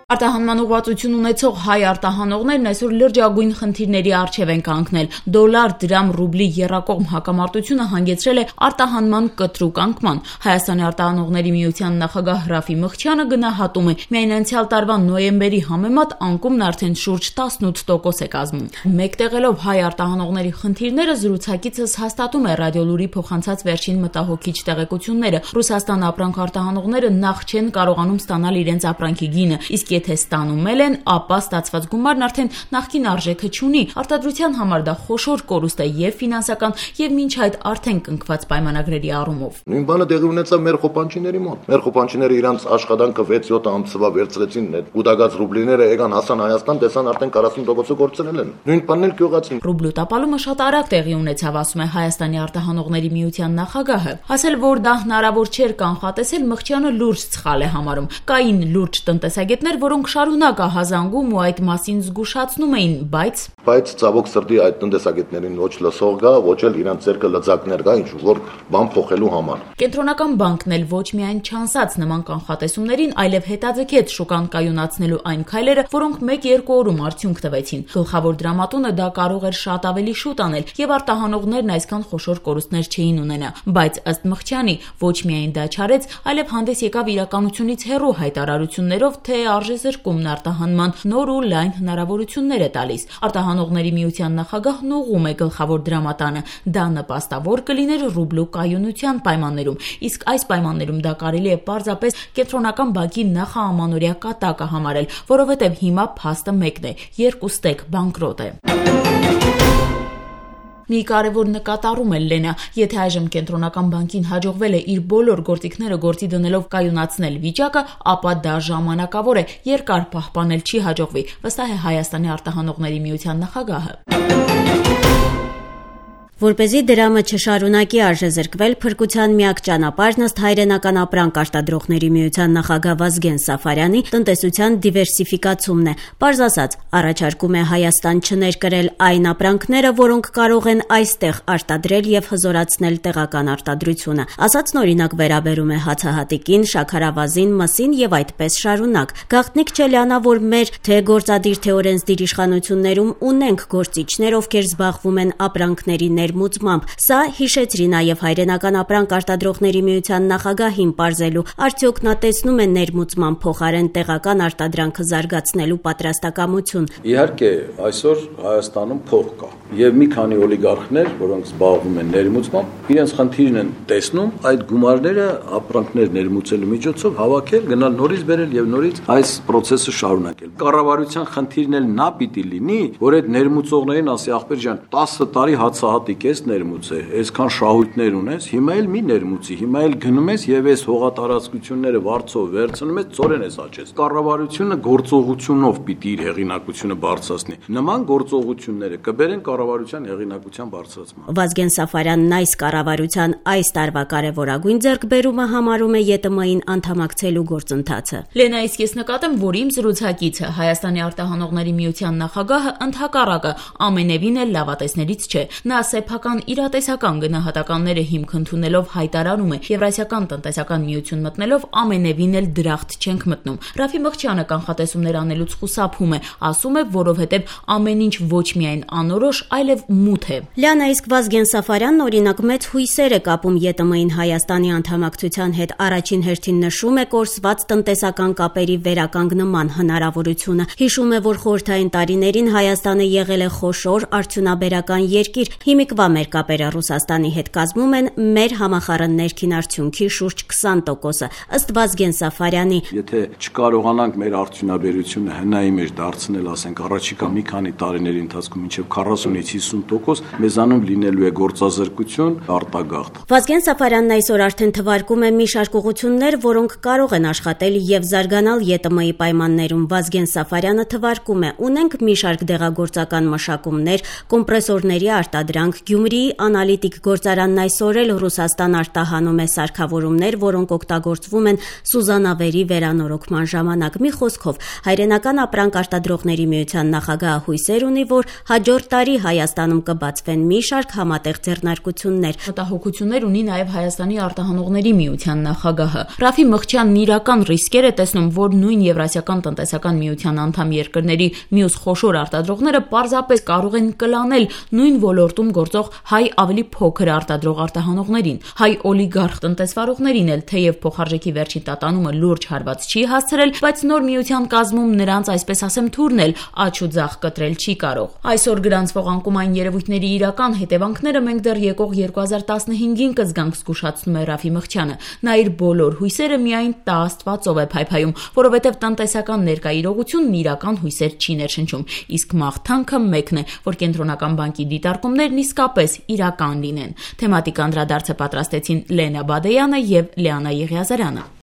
Արտահանման ուղղվածություն ունեցող հայ արտահանողներն այսօր լրջագույն խնդիրների առջև են կանգնել։ Դոլար, դրամ, ռուբլի եռակողմ հակամարտությունը հանգեցրել է արտահանման կտրուկ անկման։ Հայաստանի արտահանողների միության նախագահ Ռաֆի Մղչյանը գնահատում է, միայն անցյալ տարվա նոյեմբերի համեմատ անկումն արդեն շուրջ 18% է կազմում։ Մեկտեղելով հայ արտահանողների խնդիրները զրուցակիցս հաստատում է Ռադիոլուրի փոխանցած վերջին մտահոգիչ տեղեկությունները։ Ռուսաստան ապրանք արտահանողները նախ չեն կարողանում ստանալ իրենց ապրանքի գինը, իսկ եթե ստանում են, ապա ստացված գումարն արդեն նախկին արժեքը չունի։ Արտադրության համար դա խոշոր կորուստ է եւ ֆինանսական, եւ մինչ այդ արդեն կնքված պայմանագրերի առումով։ Նույն բանը տեղի ունեցավ մեր խոպանչիների մոտ։ Մեր խոպանչիները իրանց աշխատանքը 6-7 ամսվա վերցրեցին, այդ կուտակած ռուբլիները եկան հասան Հայաստան, տեսան արդեն 40%-ը կորցրել են։ Նույն բանն էլ գյուղացին։ Ռուբլու տապալումը շատ արագ տեղի ունեցավ, ասում է Հայաստանի արտահանողների միության նախագահը։ Ասել, որ դա հնարավոր չէր կանխատեսել, Մղչյանը լուրջ սխալ է համարում։ Կային լուրջ տնտեսագետներ, որոնք շարունակ ահազանգում ու այդ մասին զգուշացնում էին, բայց ցավոք սրտի այդ տնտեսագետներին ոչ լսող կա, ոչ էլ իրանց ձեռքը լծակներ կա, ինչ որ բան փոխելու համար։ Կենտրոնական բանկն էլ ոչ միայն չանսաց նման կանխատեսումներին, այլև հետաձգեց շուկան կայունացնելու այն քայլերը, որոնք 1-2 օրում արդյունք տվեցին։ Գլխավոր դրամատունը դա կարող էր շատ ավելի շուտ անել, եւ արտահանողներն այսքան խոշոր կորուստներ չէին ունենա։ Բայց ըստ Մղչյանի, ոչ միայն դա չարեց, այլև հանդես եկավ իրականությունից հեռու հայտարարություններով, թե արժեզրկումն արտահանման նոր ու լայն հնարավորություններ է տալիս։ Արտահանողների միության նախագահն ուղղում է գլխավոր դրամատանը։ Դա նպաստավոր կլիներ ռուբլու կայունության պայմաններում, իսկ այս պայմաններում դա կարելի է պարզապես կենտրոնական բանկի նախաամանորյա կատակը համարել, որովհետև հիմա փաստը մեկն է՝ երկուստեք բանկրոտ է։ Մի կարևոր նկատառում է Լենա, եթե այժմ կենտրոնական բանկին հաջողվել է իր բոլոր գործիքները գործի դնելով կայունացնել վիճակը, ապա դա ժամանակավոր է, երկար պահպանել չի հաջողվի, վստահ է Հայաստանի արտահանողների միության նախագահը։ Որպեսզի դրամը չշարունակի արժեզրկվել, փրկության միակ ճանապարհն ըստ Հայրենական ապրանք արտադրողների միության նախագահ Վազգեն Սաֆարյանի տնտեսության դիվերսիֆիկացումն է։ Պարզ ասած, առաջարկում է Հայաստան չներկրել այն ապրանքները, որոնք կարող են այստեղ արտադրել եւ հզորացնել տեղական արտադրությունը։ Ասածն օրինակ վերաբերում է հացահատիկին, շաքարավազին, մսին եւ այդպես շարունակ։ Գաղտնիք չէ Լիանա, որ մեր թե գործադիր թե օրենսդիր իշխանություններում ունենք գործիչներ, ովքեր զբաղվում են ապրանքների ներմուծմամբ։ Սա հիշեցրի նաև Հայրենական ապրանք արտադրողների միության նախագահին պարզելու, արդյոք նա տեսնում է ներմուծման փոխարեն տեղական արտադրանքը զարգացնելու պատրաստակամություն։ Իհարկե, այսօր Հայաստանում փող կա եւ մի քանի օլիգարխներ, որոնք զբաղվում են ներմուծմամբ, իրենց խնդիրն են տեսնում այդ գումարները ապրանքներ ներմուծելու միջոցով հավաքել, գնալ նորից բերել եւ նորից այս process-ը շարունակել։ Կառավարության խնդիրն էլ նա պիտի լինի, որ այդ ներմուծողներին ասի ախպեր ջան, 10 տարի հացահատիկ ես ներմուծել, այսքան շահույթներ ունես, հիմա էլ մի ներմուծի, հիմա էլ գնում ես եւ այս հողատարածությունները վարձով վերցնում ես, ծորեն ես աճես։ Կառավարությունը գործողությունով պիտի իր հեղինակությունը բարձրացնի։ Նման գործողությունները կբերեն կառավարության հեղինակության բարձրացման։ Վազգեն Սաֆարյանն այս կառավարության այս տարվա կարևորագույն ձեռքբերումը համարում է ԵՏՄ-ին անդամակցելու գործընթացը։ Լենա, իսկ ես նկատեմ, որ իմ զրուցակիցը Հայաստանի արտահանողների միության նախագահը ընդհակառակը ամենևին էլ լավատեսներից չէ։ Նա սեփական իրատեսական գնահատականները հիմք ընդունելով հայտարարում է, Եվրասիական տնտեսական միություն մտնելով ամենևին էլ դրախտ չենք մտնում։ Ռաֆի Մղչյանը կանխատեսումներ անելուց խուսափում է, ասում է, որովհետև ամեն ինչ ոչ միայն անորոշ, այլև մութ է։ Լիանա, իսկ Վազգեն Սաֆարյանն օրինակ մեծ հույսեր է կապում ԵՏՄ-ին Հայաստանի անդամակցության հետ, առաջին հերթին նշում է կորսված տնտեսական կապերի վերականգնման հնարավորությունը։ Հիշում է, որ խորհրդային տարիներին Հայաստանը եղել է խոշոր արդյունաբերական երկիր։ Հիմիկվա մեր կապերը Ռուսաստանի հետ կազմում են մեր համախառն ներքին արդյունքի շուրջ 20%-ը։ Ըստ Վազգեն Սաֆարյանի, եթե չկարողանանք մեր արդյունաբերությունը հնայի մեջ դարձնել, ասենք առաջիկա մի քանի տարիների ընթացքում մինչև 40-ից 50%, մեզանում լինելու է գործազրկություն, արտագաղթ։ Վազգեն Սաֆարյանն այսօր արդեն թվարկում է մի շարք ուղղություններ, որոնք կարող են աշխատել եւ զարգանալ ԵՏՄ-ի պայմաններում։ Վազգեն Սաֆարյանը թվարկում է, ունենք մի շարք դեղագործական մշակումներ, կոմպրեսորների արտադրանք, Գյումրիի անալիտիկ գործարանն այսօր էլ Ռուսաստան արտահանում է սարքավորումներ, որոնք օգտագործվում են Սուզանավերի վերանորոգման ժամանակ։ Մի խոսքով, Հայրենական ապրանք արտադրողների միության նախագահը հույսեր ունի, որ հաջորդ տարի Հայաստանում կբացվեն մի շարք համատեղ ձեռնարկություններ։ Մտահոգություններ ունի նաև Հայաստանի արտահանողների միության նախագահը։ Ռաֆի Մղչյանն իրական ռիսկեր է տեսնում, որ նույն Եվրասիական տնտեսական միության անդամ երկրների մյուս խոշոր արտադրողները պարզապես կարող են կլանել նույն ոլորտում գործող հայ ավելի փոքր արտադրող արտահանողներին։ Հայ օլիգարխ տնտեսվարողներին էլ թեև փոխարժեքի վերջին տատանումը լուրջ հարված չի հասցրել, բայց նոր միության կազմում նրանց, այսպես ասեմ, թուրն էլ աջ ու ձախ կտրել չի կարող։ Այսօր գրանցվող անկումային երևույթների իրական հետևանքները մենք դեռ եկող 2015-ին կզգանք, զգուշացնում է Ռաֆի Մղչյանը։ Նա իր բոլոր հույսերը միայն տա Աստվածով է փայփայում, որովհետև տնտեսական ներկա իրողությունն իրական հույսեր չի ներշնչում, իսկ մաղթանքը մեկն է, որ Կենտրոնական բանկի դիտարկումներն իսկապես իրական լինեն։ Թեմատիկ անդրադարձը պատրաստեցին Լենա Բադեյանը եւ Լիանա Եղիազարյանը։